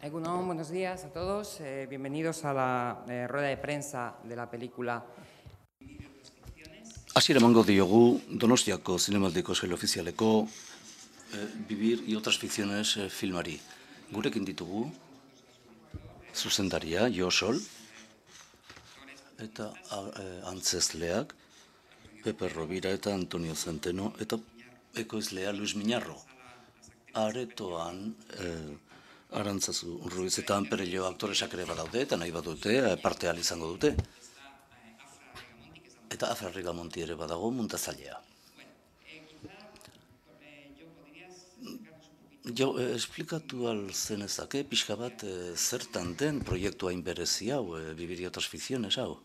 Egunon, buenos días a todos. Bienvenidos a la rueda de prensa de la película. Hasiera emango diogu Donostiako Zinemaldiko sail ofizialeko Vivir y otras ficciones filmari. Gurekin ditugu zuzendaria Jo Sol eta antzezleak Pepe Rovira eta Antonio Centeno eta ekoizlea Luis Miñarro. Aretoan Arantzazu Ruiz eta Anperello aktoresak ere badaude eta nahi badute parte ahal izango dute. Eta Afra Rigamonti ere badago muntazailea. Jo, esplikatu alzenezake pixka bat zertan den proiektu hain berezi hau, Vivir y otras ficciones hau.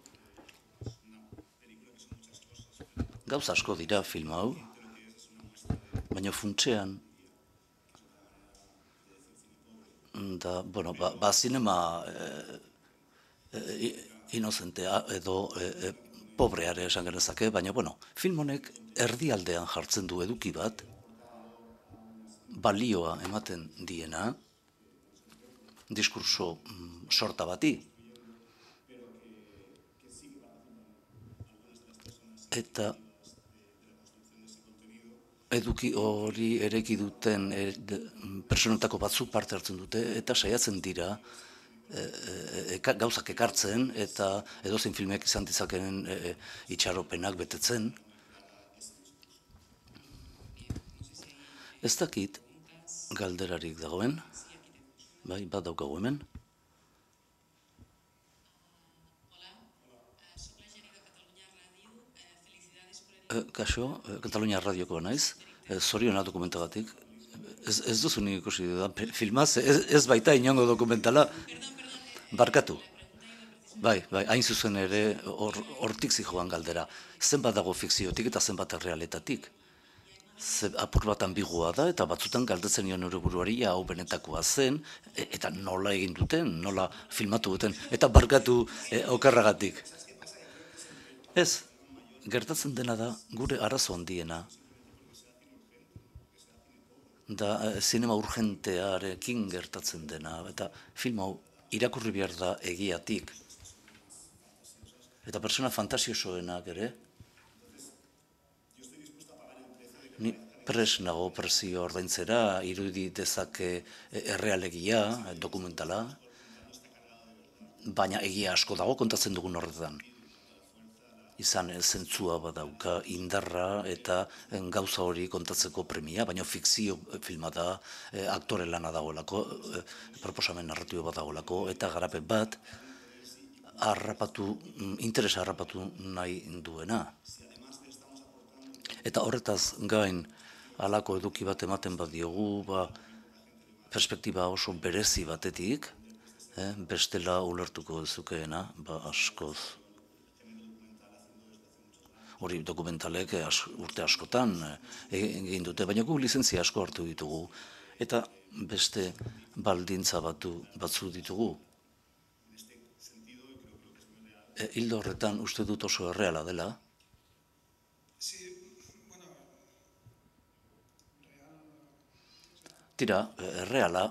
Gauza asko dira film hau, baina funtsean da, bueno, zinema inozentea edo pobreare esan genezake, baina, bueno, film honek erdialdean jartzen du eduki bat, balioa ematen diena, diskurso sorta bati. Eta eduki hori ereki duten personetako batzuk parte hartzen dute, eta saiatzen dira gauzak ekartzen, eta edozein filmek izan dizakeen itxaropenak betetzen. Ez dakit galderarik dagoen, bai, bat daukagu hemen. Kaixo, Katalunia Radioko naiz, zoriona dokumentagatik. Ez duzu nik ikusi dudan filmaz, ez baita inongo dokumentala, barkatu. Bai, hain zuzen ere hortik zijoan galdera. Zenbat dago fikziotik eta zenbat errealetatik. Apur bat ambigua da, eta batzutan galdetzen nion nire buruari hau benetakoa zen, eta nola egin duten, nola filmatu duten, eta barkatu okerragatik. Ez, gertatzen dena da gure arazo handiena, da zinema urgentearekin gertatzen dena, eta film hau irakurri behar da egiatik, eta persona fantasiosoenak ere, ni pres nago prezio ordaintzera, irudi dezake errealegia, dokumentala, baina egia asko dago kontatzen dugun horretan. Izan zentzua badauka indarra eta gauza hori kontatzeko premia, baina fikzio filma da, aktore lana dagoelako, proposamen narratibo bat dagoelako, eta garapen bat interesa harrapatu nahi duena. Eta horretaz gain halako eduki bat ematen badiogu, perspektiba oso berezi batetik, bestela ulertuko dezukeena, askoz. Hori dokumentalek urte askotan egin dute, baina gu lizentzia asko hartu ditugu, eta beste baldintza batzu ditugu. Hildo horretan uste dut oso erreala dela. Tira, erreala,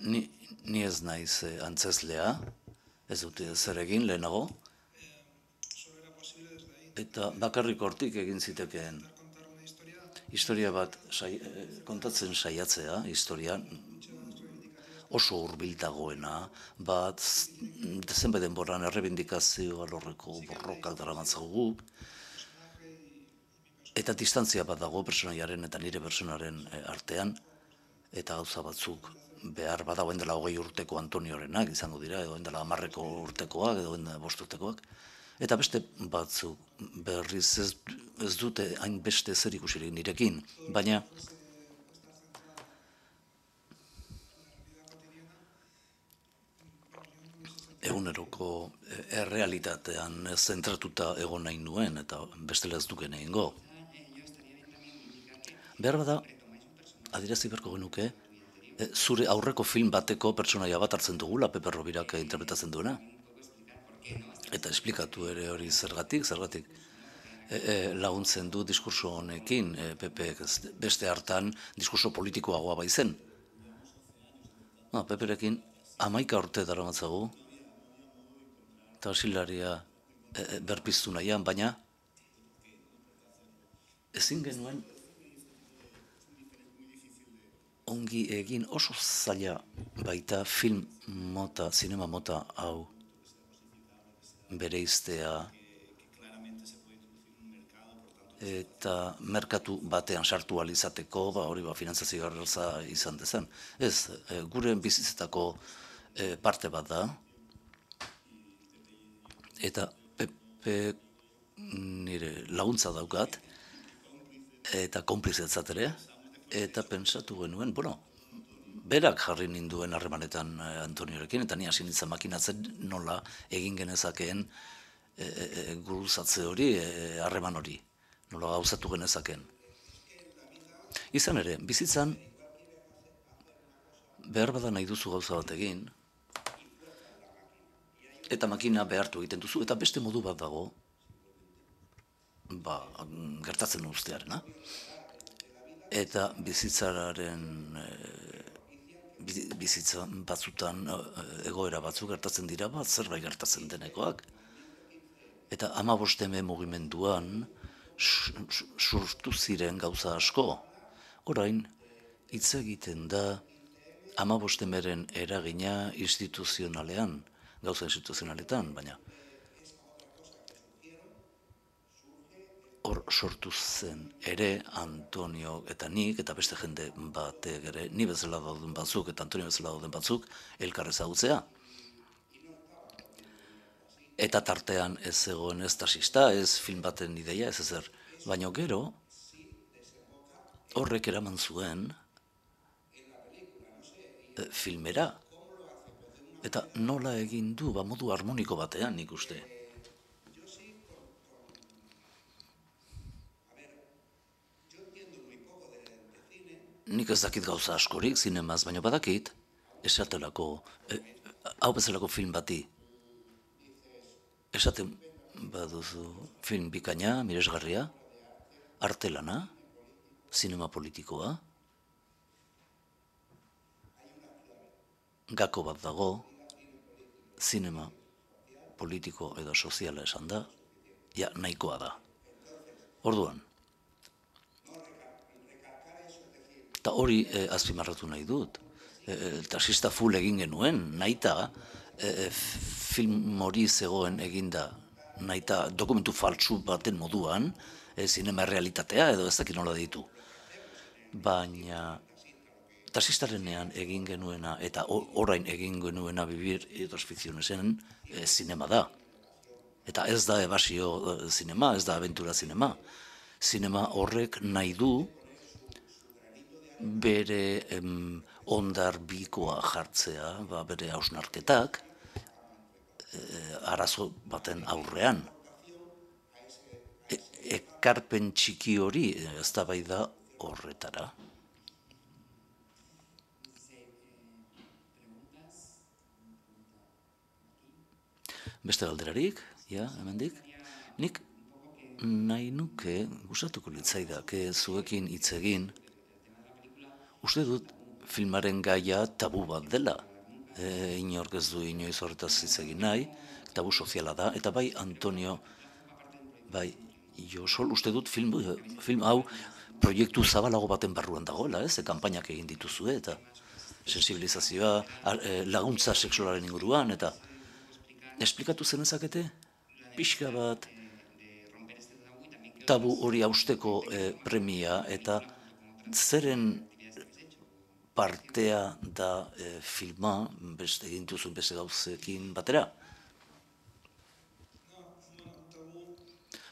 ni ez naiz antzezlea, ez dut zer egin lehenago, eta bakarrik hortik egin zitekeen historia bat kontatzen saiatzea, historia oso hurbildagoena, bat zenbait denboran errebindikazio alorreko borrokak daramatzagu, eta distantzia bat dago personaiaren eta nire personaren artean, eta gauza batzuk behar badagoen dela 20 urteko Antoniorenak izango dira, edo dela 10 urtekoak, edo 5 urtekoak, eta beste batzuk berriz ez dute hain beste zer ikusirik nirekin, baina eguneroko errealitatean zentratuta egon nahi nuen, eta bestela ez duken egingo. Behar bada, adierazi beharko genuke, zure aurreko film bateko pertsonaia bat hartzen dugula, Pepe Rovirak interpretatzen duena. Eta esplikatu ere hori zergatik laguntzen du diskurso honekin, Pepe beste hartan diskurso politikoagoa baizen. Peperekin 11 urte daramatzagu, eta asilaria berpiztu nahian, baina ezin genuen ongi egin oso zaila baita film mota, zinema mota hau bereiztea eta merkatu batean sartu ahal izateko, hori finantzazio garrotza izan dezen. Ez, gure bizitzetako parte bat da, eta Pepe nire laguntza daukat, eta konplizetzat ere, eta pentsatu genuen, berak jarri ninduen harremanetan Antoniorekin, eta ni hasi nintzen makinatzen nola egin genezakeen guruzatze hori, harreman hori, nola gauzatu genezakeen. Izan ere, bizitzan, behar bada nahi duzu gauza bat egin, eta makina behartu egiten duzu, eta beste modu bat dago, gertatzen ustearena. Eta bizitza batzutan egoera batzuk gertatzen dira zerbait gertatzen denekoak. Eta 15 mugimenduan sortu ziren gauza asko. Orain, hitz egiten da 15 eragina instituzionalean, gauza instituzionaletan, baina hor sortu zen ere Antonio eta nik, eta beste jende batek ere, ni bezala dauden batzuk eta Antonio bezala dauden batzuk, elkar ezagutzea. Eta tartean ez zegoen ez taxista, ez film baten ideia, ez ezer. Baina gero, horrek eraman zuen filmera. Eta nola egin du, modu harmoniko batean, nik uste. Nik ez dakit gauza askorik zinemaz, baina badakit, esatelako, hau bezalako film bati. Esaten baduzu film bikaina, miresgarria, artelana, zinema politikoa, gako bat dago, zinema politiko edo soziala esan da, nahikoa da. Orduan, eta hori azpimarratu nahi dut. Taxista full egin genuen, nahita film hori zegoen eginda, nahita dokumentu faltsu baten moduan, zinema realitatea edo ez dakit nola ditu. Baina taxistarenean egin genuena eta orain egin genuena Vivir y otras ficcionesen zinema da. Eta ez da ebasio zinema, ez da aventura zinema. Zinema horrek nahi du bere ondar bikoa jartzea, bere hausnarketak, arazo baten aurrean. Ekarpen txiki hori eztabaida horretara. Beste galderarik, hemendik? Nik nahi nuke, gustatuko litzaidak, zuekin hitz egin, uste dut filmaren gaia tabu bat dela. Inork ez du inoiz horretaz hitz egin nahi, tabu soziala da, eta bai Antonio, bai Josol, uste dut film hau proiektu zabalago baten barruan dagoela, kanpainak egin dituzue, eta sensibilizazioa, laguntza sexualaren inguruan, eta esplikatu zenezakete, pixka bat, tabu hori hausteko premia, eta zeren partea da filma, egin duzun beste gauzekin batera.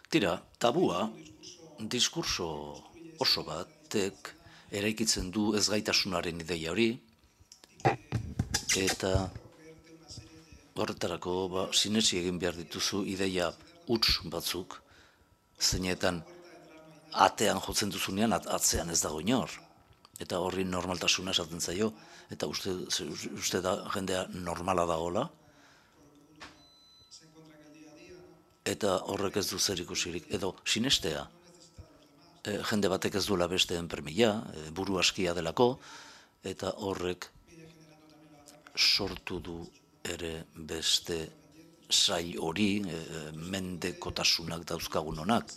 Tira, tabua, diskurso oso batek eraikitzen du ezgaitasunaren ideia hori, eta horretarako sinetsi egin behar dituzu ideia huts batzuk, zeinetan atean jotzen duzunean atzean ez dago inor. Eta horri normaltasuna esaten zaio, eta uste da jendea normala dagoela, eta horrek ez du zer ikusirik, edo sinestea, jende batek ez duela besteen permila, buru askia delako, eta horrek sortu du ere beste sail hori, mendekotasunak dauzkagun honak.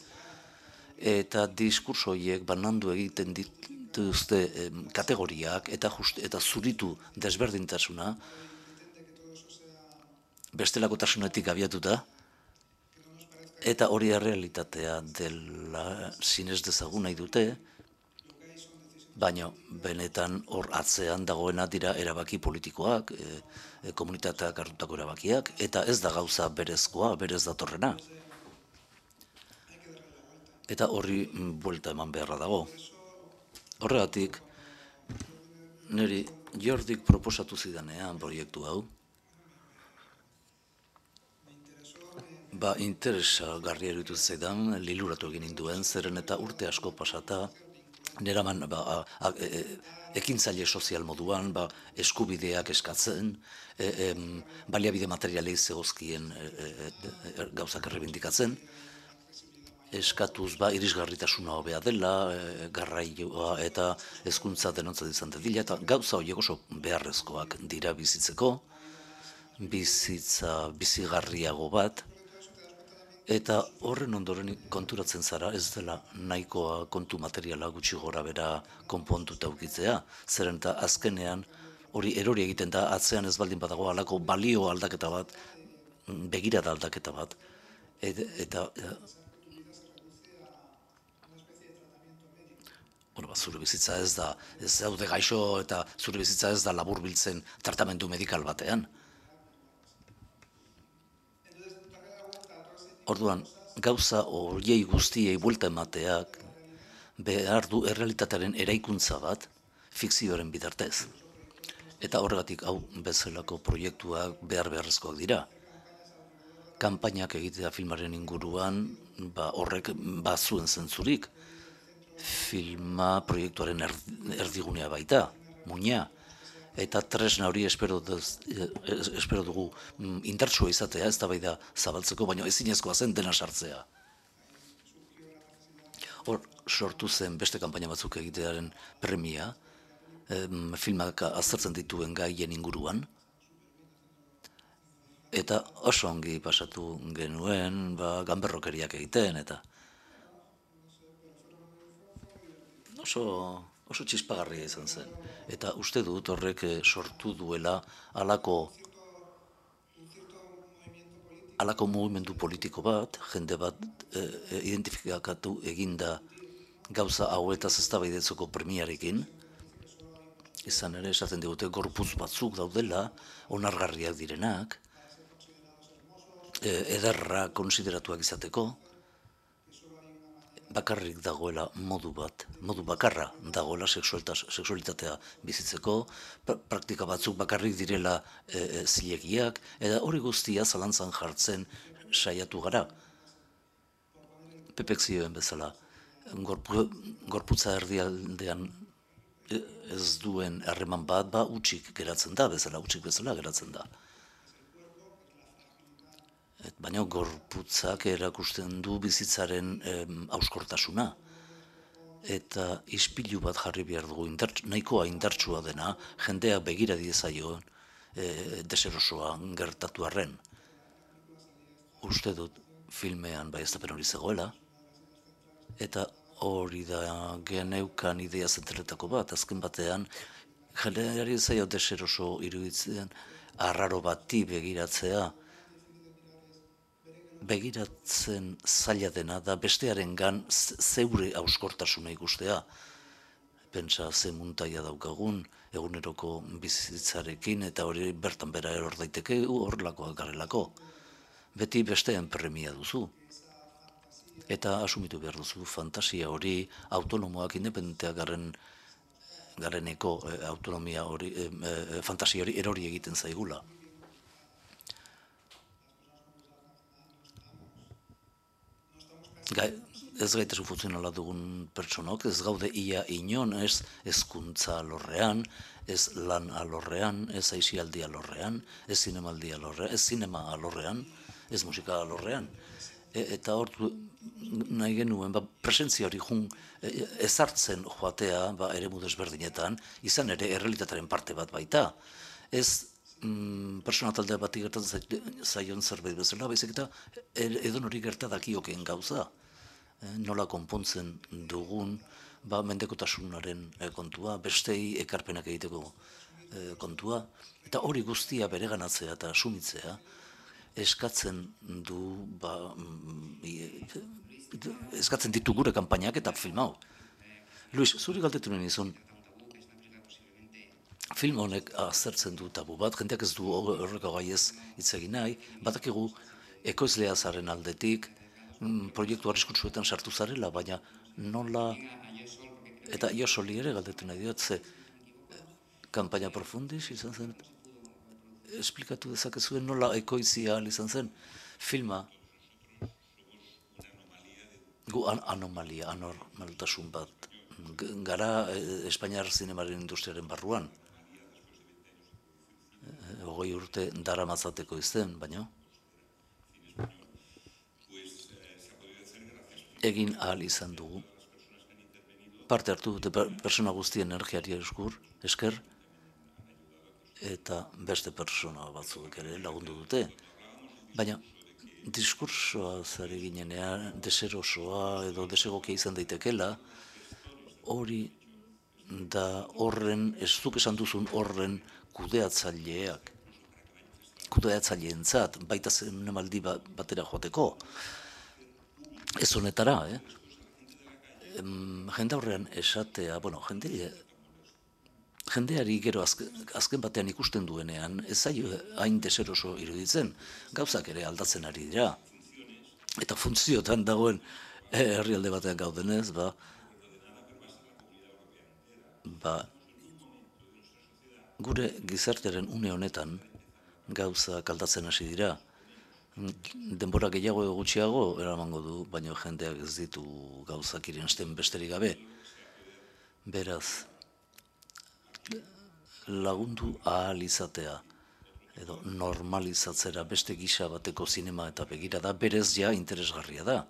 Eta diskurso horiek banandu egiten dituzte kategoriak eta zuritu desberdintasuna bestelakotasunetik abiatuta, eta hori realitatea dela sinez dezagun nahi dute, baina benetan hor atzean dagoena dira erabaki politikoak, komunitateak hartutako erabakiak, eta ez da gauza berezkoa, berez datorrena. Eta horri buelta eman beharra dago. Horregatik, niri Jordik proposatu zidanean proiektu hau, interesgarria iruditu zaidan, liluratu egin ninduen, zeren eta urte asko pasata, neraman ekintzaile sozial moduan, eskubideak eskatzen, baliabide materialei zegozkien gauzak errebindikatzen, eskatuz irisgarritasuna hobea dela, garraioa eta hezkuntza denontzat izan dadila, eta gauza horiek oso beharrezkoak dira bizitzeko, bizitza bizigarriago bat, eta horren ondoren konturatzen zara ez dela nahikoa kontu materiala gutxi gora bera konpontuta ukitzea, zeren eta azkenean hori erori egiten da atzean ez baldin badago halako balio aldaketa bat, begirada aldaketa bat, eta zure bizitza ez daude gaixo eta zure bizitza ez da laburbiltzen tratamendu medikal batean. Orduan, gauza horiei guztiei buelta emateak behar du errealitatearen eraikuntza bat fikzioaren bitartez. Eta horregatik hau bezalako proiektuak beharrezkoak dira. Kanpainak egitea filmaren inguruan, horrek bazuen zentzurik. Filma proiektuaren erdigunea baita, muina. Eta tresna hori espero dugu indartsua izatea, ez da bai da zabaltzeko, baina ezinezkoa zen dena sartzea. Hor sortu zen beste kanpaina batzuk egitearen premia, filmak aztertzen dituen gaien inguruan, eta oso ongi pasatu genuen, ganberrokeriak egiten, eta oso txispagarria izan zen. Eta uste dut horrek sortu duela halako mugimendu politiko bat, jende bat identifikatu eginda gauza hauetaz eztabaidatzeko premiarekin, izan ere esaten digute gorputz batzuk daudela, onargarriak direnak, ederra konsideratuak izateko, bakarrik dagoela modu bakarra dagoela sexualitatea bizitzeko, praktika batzuk bakarrik direla zilegiak, eta hori guztia zalantzan jartzen saiatu gara. Pepek zioen bezala, gorputza erdialdean ez duen harreman bat, utzik geratzen da bezala, geratzen da. Baina gorputzak erakusten du bizitzaren hauskortasuna. Eta ispilu bat jarri behar dugu, nahikoa indartsua dena, jendea begira diezaion deserosoa gertatu arren. Uste dut filmean baieztapen hori zegoela, eta hori da geneukan idea zenterretako bat, azken batean, jendeari zaio deseroso iruditzen, arraro bati begiratzea, begiratzen zaila dena da bestearengan zeure hauskortasuna ikustea. Pentsa ze muntaia daukagun eguneroko bizitzarekin eta hori bertan bera eror daiteke horrelakoak garelako. Beti besteen premia duzu. Eta asumitu behar duzu fantasia hori autonomoak independenteak gareneko autonomia hori, fantasia hori erori egiten zaigula. Ez gaitasun funtzionala dugun pertsonok, ez gaude ia inon, ez hezkuntza alorrean, ez lan alorrean, ez aisialdi alorrean, ez zinemaldi alorrean, ez zinema alorrean, ez musika alorrean. Eta hor nahi genuen, presentzia hori ezartzen joatea eremu desberdinetan, izan ere errealitatearen parte bat baita. Ez persona taldea bati gertatzen zaion zerbait bezala, baizik eta edo nori gerta dakiokeen gauza. Nola konpontzen dugun mendekotasunaren kontua, bestei ekarpenak egiteko kontua, eta hori guztia bereganatzea eta asumitzea eskatzen du eskatzen ditu gure kanpainak eta film hau. Luis, zuri galdetu nuen izun, film honek azertzen du tabu bat, jendeak ez du horreko gaiez hitz egin nahi, badakigu ekoizlea zaren aldetik, proiektu arriskutsuetan sartu zarela, baina nola, eta Josoli ere galdetu nahi diot, ze kanpaina profundis izan zen, esplikatu dezakezuen nola ekoizia izan zen, filma, gu anomalia, anormaltasun bat, gara Espainiar zinemaren industriaren barruan, 20 urte dara matzateko izten, baina egin ahal izan dugu. Parte hartu dute persona guztien energiari esker, eta beste persona batzuk ere lagundu dute. Baina diskursoa zari ginenean, deserosoa edo desegokia izan daitekela, hori da horren, ez duk esan duzun horren kudeatzaileentzat, baita zinemaldi batera joateko. Ez honetara, jende aurrean esatea, jendeari gero azken batean ikusten duenean, ez zaio hain deseroso iruditzen, gauzak ere aldatzen ari dira. Eta funtziotan dagoen herrialde batean gaudenez, gure gizartearen une honetan gauzak aldatzen hasi dira. Denbora gehiago edo gutxiago eramango du, baina jendeak ez ditu gauzak irensten besterik gabe. Beraz, lagundu ahal izatea, edo normalizatzera beste gisa bateko zinema eta begirada berez ja interesgarria da.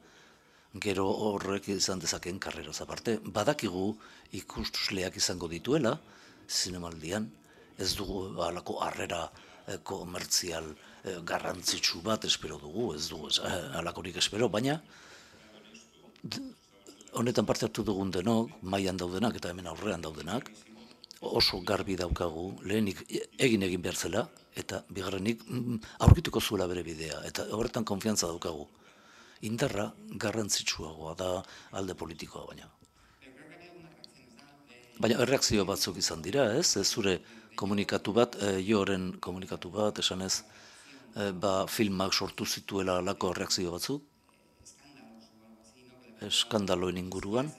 Gero horrek izan dezakeen karreraz aparte. Badakigu ikusleak izango dituela, zinemaldian, ez dugu halako harrera komertzial garrantzitsu bat espero dugu, ez dugu halakorik espero, baina honetan parte hartu dugun denok, mailan daudenak eta hemen aurrean daudenak, oso garbi daukagu, lehenik egin behar zela, eta bigarrenik aurkituko zuela bere bidea, eta horretan konfiantza daukagu. Indarra garrantzitsuagoa da alde politikoa baina. Baina erreakzio batzuk izan dira, ez? Zure komunikatu bat, Joren komunikatu bat, esanez, filmak sortu zituela alako erreakzio batzuk, eskandaloen inguruan,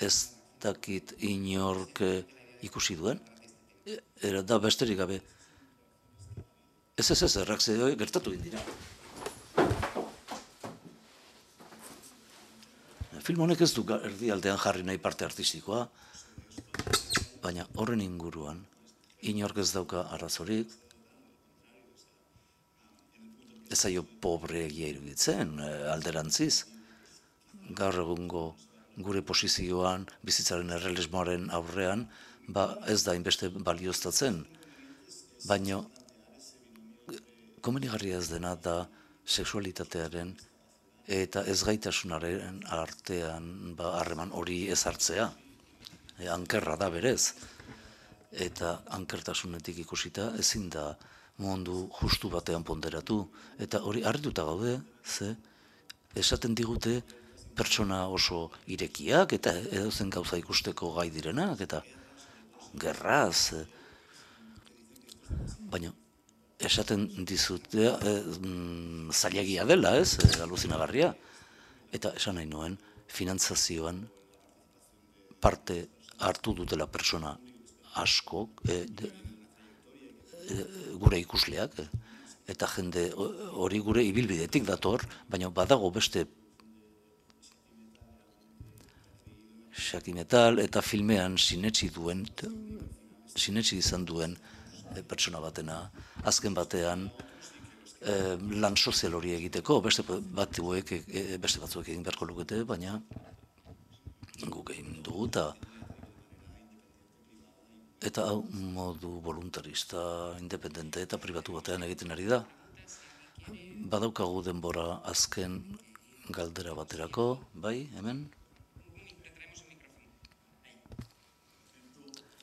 ez dakit inork ikusi duen, da besterik gabe. Ez, erreakzio gertatu dira. Film honek ez du erdialdean jarri nahi parte artistikoa, baina horren inguruan inork ez dauka arazorik, ez zaio pobreegia iruditzen, alderantziz. Gaur egungo gure posizioan, bizitzaren errealismoaren aurrean, ez da inbeste balioztatzen, baina komenigarria ez dena da sexualitatearen eta ezgaitasunaren artean harreman hori ez hartzea. Ankerra da berez. Eta ankertasunetik ikusita ezin da mundu justu batean ponderatu. Eta hori harrituta gaude, ze esaten digute pertsona oso irekiak eta edozen gauza ikusteko gai direnak eta gerraz. Baina esaten dizute zailagia dela, ez, aluzinagarria. Eta esan nahi nuen, finantzazioan parte hartu dutela pertsona asko, gure ikusleak, eta jende hori gure ibilbidetik dator, baina badago beste xakimetal eta filmean sinetsi izan duen pertsona batena, azken batean lan sozial hori egiteko, beste batzuek egin beharko lukete, baina guk egin dugu eta Eta hau modu voluntarista, independente eta pribatu batean egiten ari da. Badaukagu denbora azken galdera baterako, bai, hemen?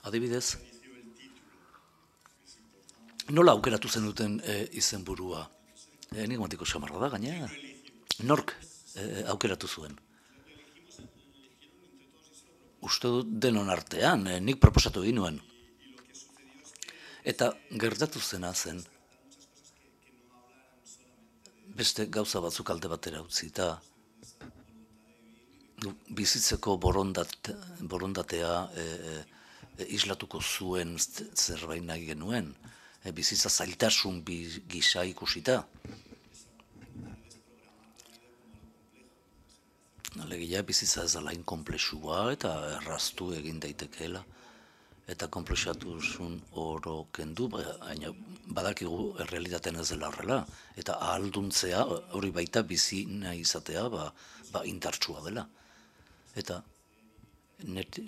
Adibidez, nola aukeratu zenuten izenburua? Enigmatiko xamarra da, gainera. Nork aukeratu zuen? Uste dut denon artean, nik proposatu egin nuen. Eta gertatu zena zen, beste gauza batzuk alde batera utzi, eta bizitzeko borondatea islatuko zuen zerbait nahi genuen, bizitza zailtasun gisa ikusita. Alegia bizitza ez dela inkomplexua eta erraztu egin daitekeela. Eta konplexatusun oro kendu, baina badakigu errealitatean ez dela horrela. Eta ahalduntzea, hori baita bizi nahi izatea, indartsua dela. Eta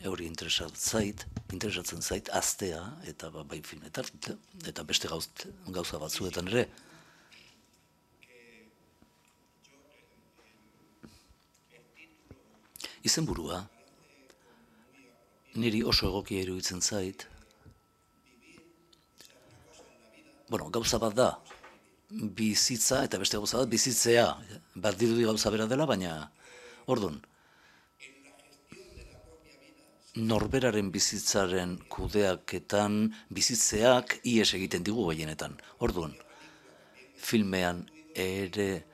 hori interesatzen zait, aztea, eta eta beste gauza batzuetan ere. Izenburua, niri oso egokia iruditzen zait. Gauza bat da, bizitza, eta beste gauza bat, bizitzea. Bat dirudi gauza bera dela, baina, orduan, norberaren bizitzaren kudeaketan bizitzeak ihes egiten digu gehienetan. Orduan, filmean ere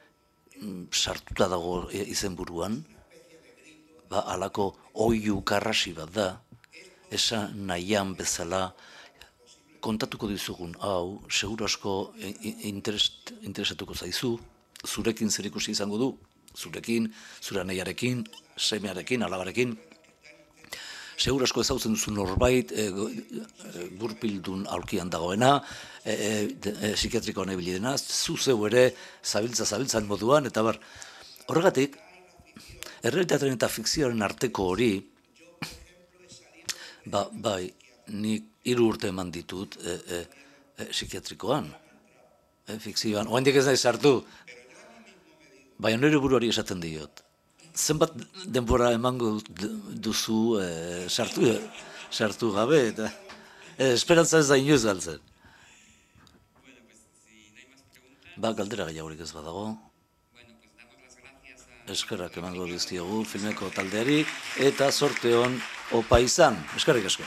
sartuta dago izenburuan, halako oihu karrasi bat da, esan nahian bezala kontatuko dizugun hau, seguru asko interesatuko zaizu, zurekin zerikusi izango du, zurekin, zure anaiarekin, semearekin, alabarekin, seguru asko ezagutzen duzu norbait, gurpildun aurkian dagoena, psikiatrikoan ibili dena, zu zeu ere zabiltzan moduan, eta horregatik, errealitatearen eta fikzioaren arteko hori, bai, nik 3 urte eman ditut psikiatrikoan, fikzioan, oaindik ez nahi sartu, baina nire buruari esaten diot. Zenbat denbora emango duzu sartu gabe, eta esperantza ez da inoiz galtzen. Galdera gehiagorik ez badago. Eskerrak emango dizkiogu filmeko taldeari, eta zorte on opa izan. Eskerrik asko.